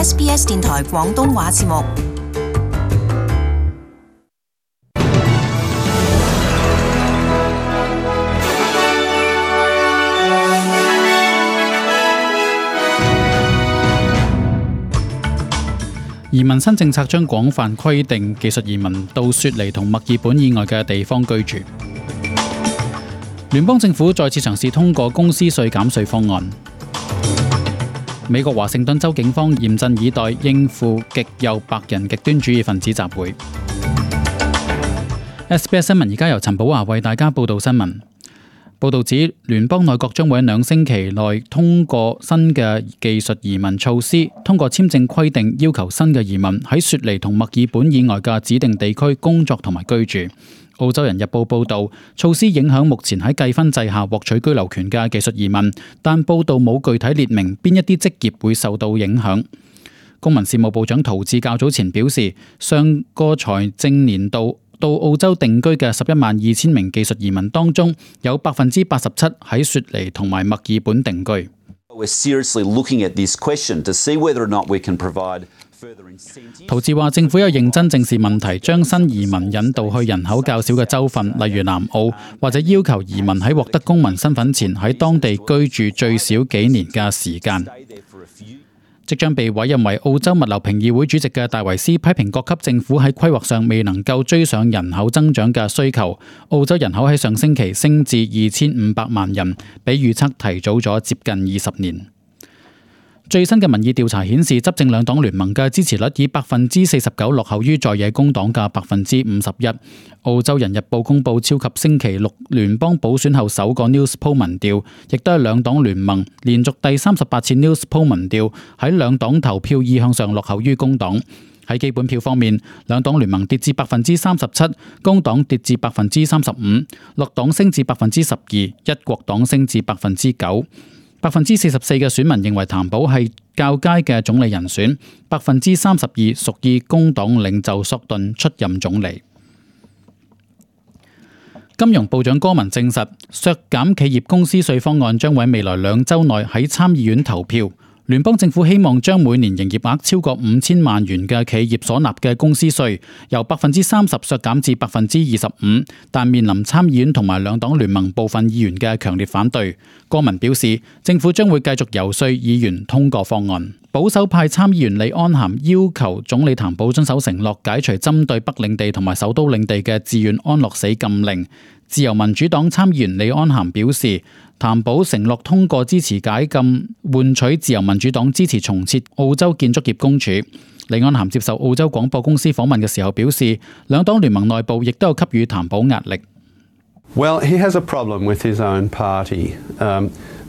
SBS 電台廣東話節目。移民新政策將廣泛規定技術移民到雪梨同墨爾本以外嘅地方居住。聯邦政府再次嘗試通過公司稅減稅方案。美國華盛頓州警方嚴陣以待，應付極右白人極端主義分子集會。SBS 新聞而家由陳寶華為大家報道新聞。報道指，聯邦內閣將會喺2星期內通過新嘅技術移民措施，通過簽證規定要求新嘅移民喺雪梨同墨爾本以外嘅指定地區工作同埋居住。澳洲人日報報道，措施影響目前喺計分制下獲取居留權嘅技術移民，但報道冇具體列明邊一啲職業會受到影響。公民事務部長陶智較早前表示，上個財政年度到澳洲定居嘅112000名技術移民當中，有87%喺雪梨同埋墨爾本定居。陶智話，政府有認真正視問題，將新移民引導去人口較少嘅州份，例如南澳，或者要求移民喺獲得公民身份前喺當地居住最少幾年嘅時間。即將被委任為澳洲物流評議會主席嘅戴維斯批評各級政府喺規劃上未能夠追上人口增長嘅需求。澳洲人口喺上星期升至2500萬人，比預測提早咗接近20年。最新嘅民意調查顯示，執政兩黨聯盟嘅支持率以49%落後於在野工黨嘅51%。澳洲人日報公佈超及星期六聯邦補選後首個 News Poll 民調，亦都係兩黨聯盟連續第38次 News Poll 民調喺兩黨投票意向上落後於工黨。喺基本票方面，兩黨聯盟跌至37%，工黨跌至35%，綠黨升至12%，一國黨升至9%。44%嘅選民認為譚寶係較佳嘅總理人選，32%屬意工黨領袖索頓出任總理。金融部長戈文證實，削減企業公司稅方案將會喺未來2週內喺參議院投票。聯邦政府希望將每年營業額超過5000萬元嘅企業所納嘅公司稅由30%削減至25%，但面臨參議院同埋兩黨聯盟部分議員嘅強烈反對。戈文表示，政府將會繼續遊說議員通過方案。保守派參議員李安涵要求總理譚寶遵守承諾，解除針對北領地同埋首都領地嘅自願安樂死禁令。自由民主黨參議員李安涵表示，譚寶承諾通過支持解禁，換取自由民主黨支持重設澳洲建築業公署。李安涵接受澳洲廣播公司訪問嘅時候表示，兩黨聯盟內部亦都有給予譚寶壓力。Well, he has a problem with his own party.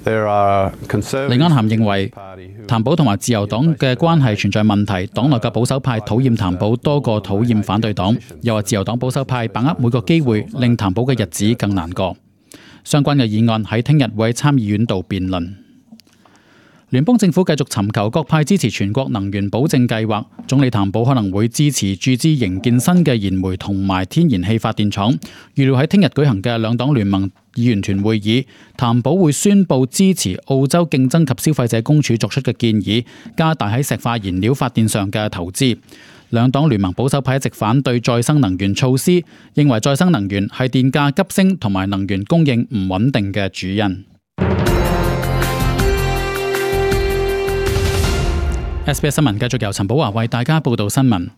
There are conservative. 李安涵認為譚寶同埋自由黨嘅關係存在問題，黨內嘅保守派討厭譚寶多過討厭反對黨，又話自由黨保守派把握每個機會令譚寶嘅日子更難過。相關嘅議案喺聽日會喺參議院度辯論。聯邦政府繼續尋求各派支持全國能源保證計劃，總理譚寶可能會支持注資營建新嘅燃煤同埋天然氣發電廠。預料喺聽日舉行嘅兩黨聯盟議員團會議，譚寶會宣布支持澳洲競爭及消費者公署作出嘅建議，加大喺石化燃料發電上嘅投資。兩黨聯盟保守派一直反對再生能源措施，認為再生能源係電價急升同埋能源供應唔穩定嘅主因。SBS 新聞繼續由陳寶華為大家報道新聞。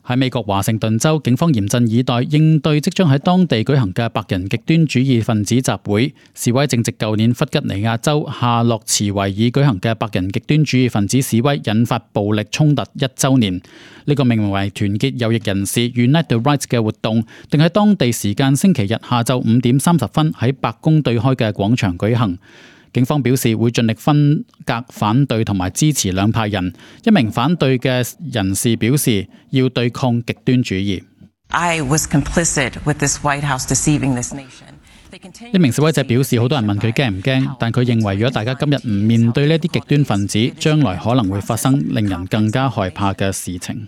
喺美國華盛頓州，警方嚴陣以待，應對即將喺當地舉行嘅白人極端主義分子集會。示威正值舊年弗吉尼亞州夏洛茨維爾舉行嘅白人極端主義分子示威，引發暴力衝突1週年。呢個命名為團結右翼人士 Unite the Right 嘅活動，定喺當地時間星期日下晝5點30分喺白宮對開嘅廣場舉行。警方表示會盡力分隔反對同埋支持兩派人。一名反對嘅人士表示要對抗極端主義。一名示威者表示，好多人問佢驚唔驚，但佢認為如果大家今日唔面對呢啲極端分子，將來可能會發生令人更加害怕嘅事情。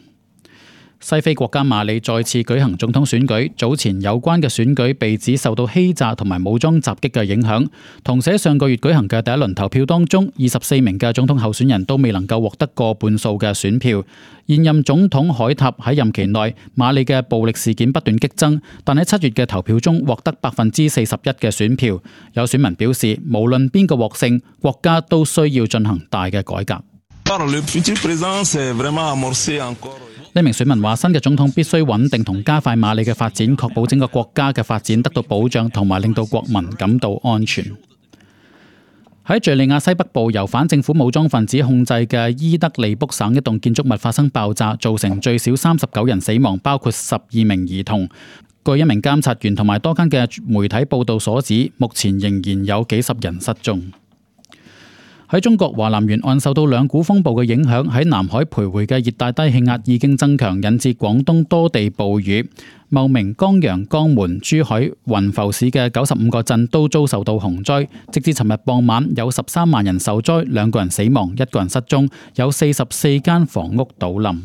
西非國家馬里再次舉行總統選舉，早前有關嘅選舉被指受到欺詐同埋武裝襲擊嘅影響。同時喺上個月舉行嘅第一輪投票當中，24名嘅總統候選人都未能夠獲得過半數嘅選票。現任總統海塔喺任期內，馬里嘅暴力事件不斷激增，但喺7月嘅投票中獲得41%嘅選票。有選民表示，無論邊個獲勝，國家都需要進行大嘅改革。呢名選民話：新嘅總統必須穩定同加快馬里嘅發展，確保整個國家嘅發展得到保障，同埋令到國民感到安全。喺敘利亞西北部由反政府武裝分子控制嘅伊德利卜省一棟建築物發生爆炸，造成最少39人死亡，包括12名兒童。據一名監察員同埋多間嘅媒體報道所指，目前仍然有幾十人失蹤。喺中國華南沿岸受到兩股風暴嘅影響，喺南海徘徊嘅熱帶低氣壓已經增強，引致廣東多地暴雨。茂名、江陽、江門、珠海、雲浮市嘅95個鎮都遭受到洪災。直至尋日傍晚，有13萬人受災，2個人死亡，1個人失蹤，有44間房屋倒冧。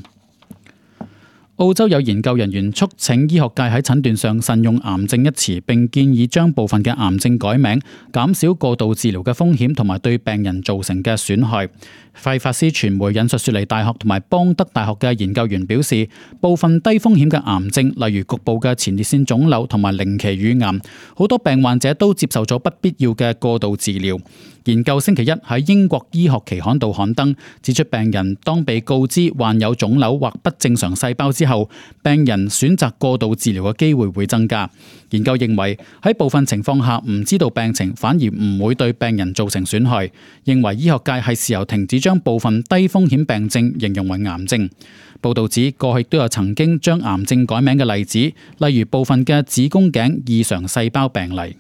澳洲有研究人員促請醫學界喺診斷上慎用癌症一詞，並建議將部分嘅癌症改名，減少過度治療嘅風險同埋對病人造成嘅損害。費法斯傳媒引述雪梨大學同埋邦德大學嘅研究員表示，部分低風險嘅癌症，例如局部嘅前列腺腫瘤同埋零期乳癌，好多病患者都接受咗不必要嘅過度治療。研究星期一喺英國醫學期刊度刊登，指出病人當被告知患有腫瘤或不正常細胞之後，病人選擇過度治療嘅機會會增加。研究認為喺部分情況下，唔知道病情反而唔會對病人造成損害，認為醫學界係時候停止將部分低風險病症形容為癌症。報道指過去都有曾經將癌症改名嘅例子，例如部分嘅子宮頸異常細胞病例。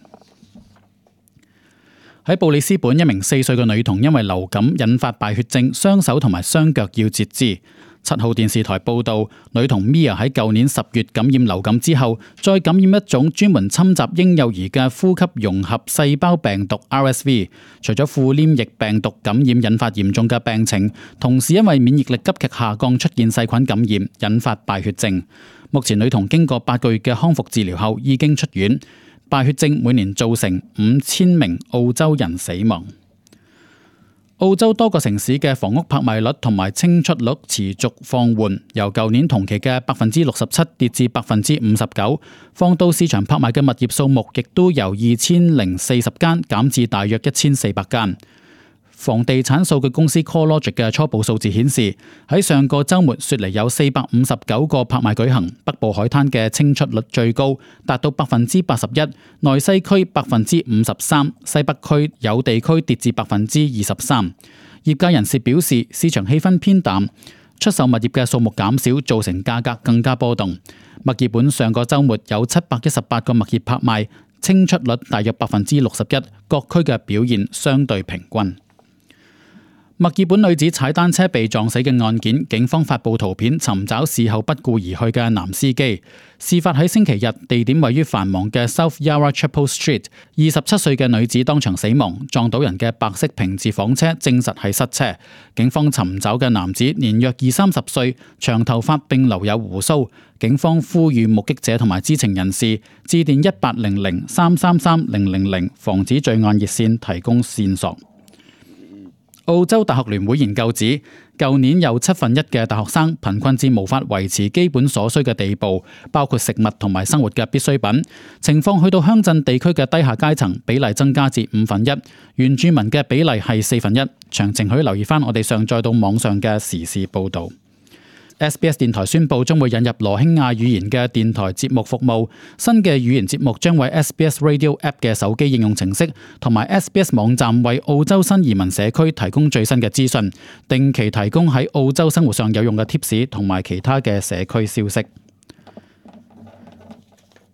喺布里斯本，一名4歲嘅女童因為流感引發敗血症，雙手同埋雙腳要截肢。7號電視台報道，女童 Mia 喺舊年10月感染流感之後，再感染一種專門侵襲嬰幼兒嘅呼吸融合細胞病毒 RSV。除咗副黏液病毒感染引發嚴重嘅病情，同時因為免疫力急劇下降出現細菌感染，引發敗血症。目前女童經過8個月嘅康復治療後已經出院。敗血症每年造成5000名澳洲人死亡。澳洲多個城市嘅房屋拍賣率同埋清出率持續放緩，由舊年同期嘅67%跌至59%。放到市場拍賣嘅物業數目亦都由2040間減至大約1400間。房地產數據公司 CoreLogic 嘅初步數字顯示，喺上個週末，雪梨有459個拍賣舉行，北部海灘嘅清出率最高，達到81%，內西區53%，西北區有地區跌至23%。業界人士表示，市場氣氛偏淡，出售物業嘅數目減少，造成價格更加波動。墨爾本上個週末有718個物業拍賣，清出率大約61%，各區嘅表現相對平均。墨爾本女子踩單車被撞死嘅案件，警方發布圖片尋找事後不顧而去嘅男司機。事發喺星期日，地點位於繁忙嘅 South Yarra Chapel Street。27歲嘅女子當場死亡，撞到人嘅白色平治房車證實係失車。警方尋找嘅男子年約20-30歲，長頭髮並留有鬍鬚。警方呼籲目擊者同埋知情人士致電1800-333-000防止罪案熱線提供線索。澳洲大學聯會研究指，舊年有1/7嘅大學生貧困至無法維持基本所需嘅地步，包括食物同埋生活嘅必需品。情況去到鄉鎮地區嘅低下階層，比例增加至1/5，原住民嘅比例係1/4。詳情可以留意翻我哋上載到網上嘅時事報導。SBS 電台宣布將會引入羅興亞語言嘅電台節目服務，新嘅語言節目將為 SBS Radio App 嘅手機應用程式同埋 SBS 網站為澳洲新移民社區提供最新嘅資訊，定期提供喺澳洲生活上有用嘅貼士同埋其他嘅社區消息。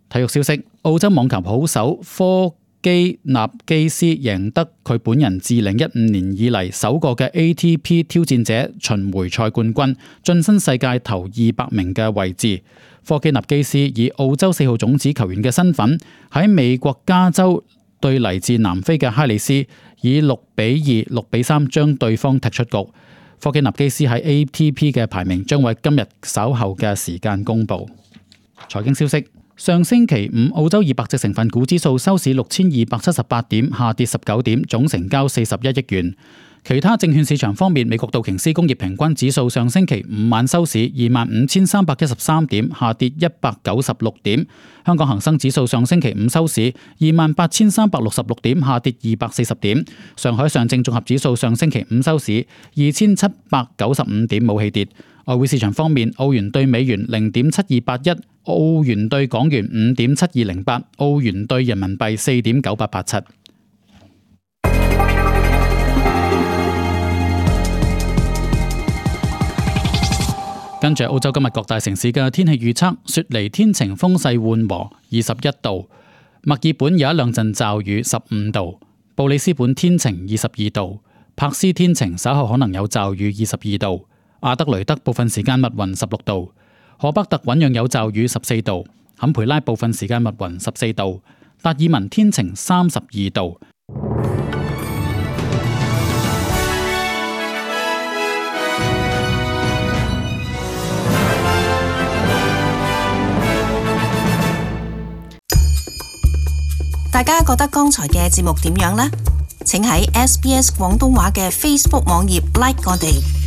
體育消息：澳洲網球好手科基納基斯贏得佢本人自2015年以嚟首個嘅 ATP 挑戰者巡迴賽冠軍，晉身世界頭200名嘅位置。科基納基斯以澳洲4號種子球員嘅身份喺美國加州對嚟自南非嘅哈里斯，以6-2、6-3將對方踢出局。科基納基斯喺 ATP 嘅排名將會今日稍後嘅時間公佈。財經消息。上星期五，澳洲200隻成分股指數收市6278點，下跌19點，總成交41億元。其他證券市場方面，美國道瓊斯工業平均指數上星期五晚收市25,313點，下跌196點。香港恒生指數上星期五收市28,366點，下跌240點。上海上證綜合指數上星期五收市2,795點，冇起跌。外匯市場方面，澳元兌美元0.7281，澳元兌港元5.7208，澳元兌人民幣4.9887。跟住澳洲今日各大城市嘅天氣預測：雪梨天晴，風勢緩和，21度；墨爾本有一兩陣驟雨，15度；布里斯本天晴，22度；柏斯天晴，稍後可能有驟雨，22度；阿德雷德部分時間密雲，16度；荷北特醞釀有驟雨，14度；坎培拉部分時間密雲，14度；達爾文天晴，32度。大家覺得剛才嘅節目點樣呢？請喺SBS 廣東話嘅 Facebook 網頁 like 我哋。